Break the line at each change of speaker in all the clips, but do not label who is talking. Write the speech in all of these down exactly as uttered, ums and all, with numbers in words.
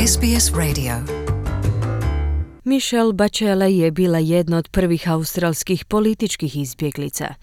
S B S Radio.
Michelle Bachelet je bila jedna od prvih australskih političkih izbjeglica.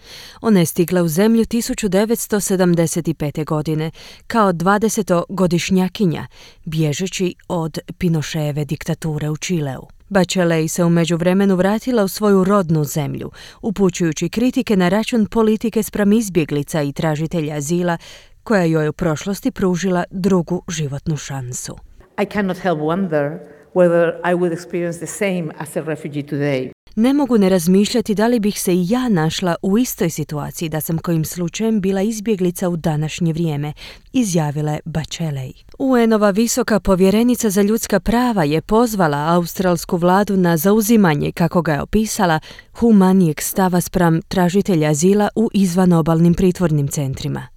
Ona je stigla u zemlju tisuću devetsto sedamdeset pete. godine kao dvadesetogodišnjakinja, bježeći od Pinocheove diktature u Čileu. Bachelet se u međuvremenu vratila u svoju rodnu zemlju, upućujući kritike na račun politike spram izbjeglica i tražitelja azila, koja joj u prošlosti pružila drugu životnu šansu.
I cannot help wonder whether I would experience the same as a refugee today.
Ne mogu ne razmišljati da li bih se i ja našla u istoj situaciji da sam kojim slučajem bila izbjeglica u današnje vrijeme, izjavila je Bachelet. U en-ova visoka povjerenica za ljudska prava je pozvala australsku vladu na zauzimanje, kako ga je opisala, humanijeg stava spram tražitelja azila u izvanobalnim pritvornim centrima.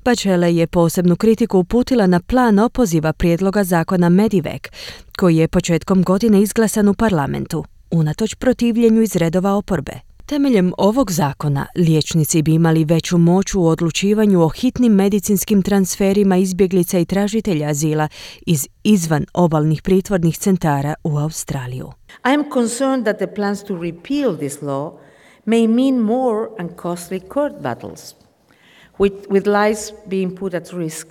Bachelet je posebnu kritiku uputila na plan opoziva prijedloga zakona Medivac, koji je početkom godine izglasan u parlamentu, unatoč protivljenju iz redova oporbe. Temeljem ovog zakona, liječnici bi imali veću moć u odlučivanju o hitnim medicinskim transferima izbjeglica i tražitelja azila iz izvan obalnih pritvornih centara u Australiju.
I am concerned that the plans to repeal this law may mean more and costly court battles, with, with lives being put at risk.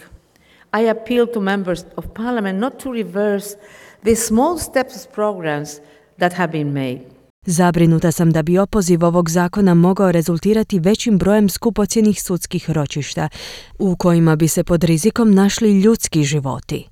I appeal to members of parliament not to reverse the small steps programs that have been made.
Zabrinuta sam da bi opoziv ovog zakona mogao rezultirati većim brojem skupocjenih sudskih ročišta, u kojima bi se pod rizikom našli ljudski životi.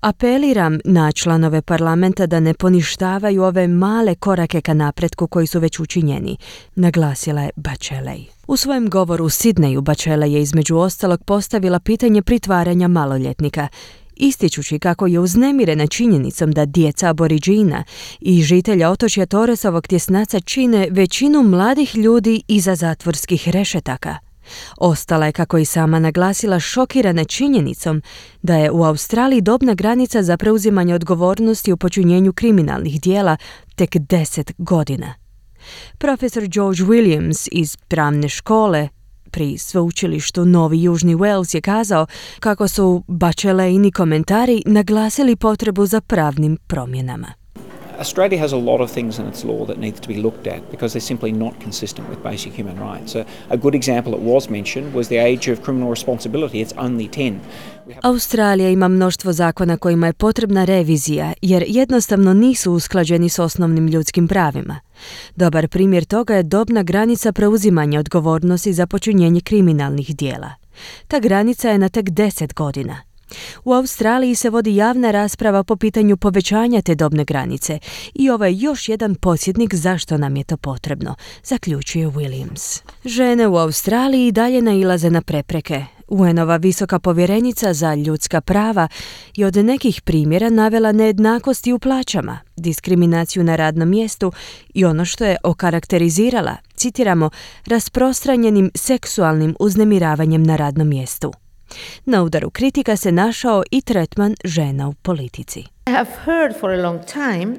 Apeliram na članove parlamenta da ne poništavaju ove male korake ka napretku koji su već učinjeni, naglasila je Bachelet. U svojem govoru u Sidneju Bachelet je između ostalog postavila pitanje pritvaranja maloljetnika, ističući kako je uznemirena činjenicom da djeca aboriđina i žitelja otočja Torresovog tjesnaca čine većinu mladih ljudi iza zatvorskih rešetaka. Ostala je, kako i sama naglasila, šokirana činjenicom da je u Australiji dobna granica za preuzimanje odgovornosti u počinjenju kriminalnih dijela tek deset godina. Profesor George Williams iz pravne škole pri sveučilištu Novi Južni Wales je kazao kako su Bacheletini komentari naglasili potrebu za pravnim promjenama.
Australia has a lot of things in its law that needs to be looked at because they're simply not consistent with basic human rights. A, a good example that was mentioned was the age of criminal responsibility. It's only ten.
Australija ima mnoštvo zakona kojima je potrebna revizija jer jednostavno nisu usklađeni s osnovnim ljudskim pravima. Dobar primjer toga je dobna granica preuzimanja odgovornosti za počinjenje kriminalnih dijela. Ta granica je na tek deset godina. U Australiji se vodi javna rasprava po pitanju povećanja te dobne granice i ovo je još jedan podsjetnik zašto nam je to potrebno, zaključuje Williams. Žene u Australiji i dalje nailaze na prepreke. U en-ova visoka povjerenica za ljudska prava je od nekih primjera navela nejednakosti u plaćama, diskriminaciju na radnom mjestu i ono što je okarakterizirala, citiramo, rasprostranjenim seksualnim uznemiravanjem na radnom mjestu. Na udaru kritika se našao i tretman žena u politici.
I have heard for a long time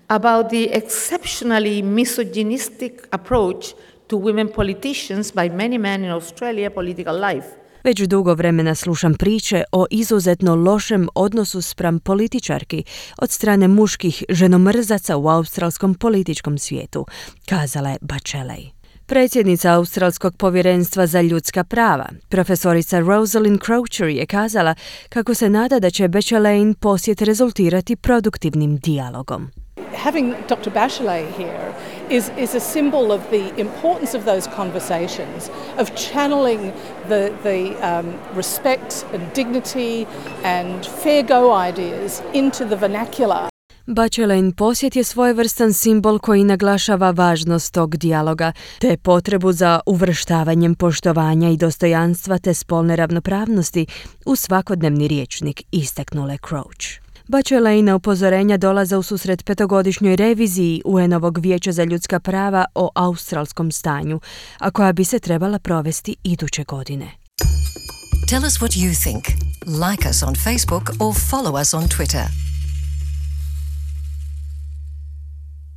about the exceptionally misogynistic approach to women politicians by many men in Australia political life.
Već dugo vremena slušam priče o izuzetno lošem odnosu spram političarki od strane muških ženomrzaca u australskom političkom svijetu, kazala je Bachelet. Predsjednica Australskog povjerenstva za ljudska prava, profesorica Rosalind Croucher, je kazala kako se nada da će Bacheletin posjet rezultirati produktivnim dijalogom.
Having Doctor Bachelet here is, is a symbol of the importance of those conversations, of channeling the, the um, respect and dignity and fair go ideas into the vernacular.
Bacheletin posjet je svojevrstan simbol koji naglašava važnost tog dijaloga, te potrebu za uvrštavanjem poštovanja i dostojanstva te spolne ravnopravnosti u svakodnevni rječnik, istaknula Crouch. Bacheletina upozorenja dolaze u susret petogodišnjoj reviziji U N-ovog vijeća za ljudska prava o australskom stanju, a koja bi se trebala provesti iduće godine.
Tell us what you think. Like us on Facebook or follow us on Twitter.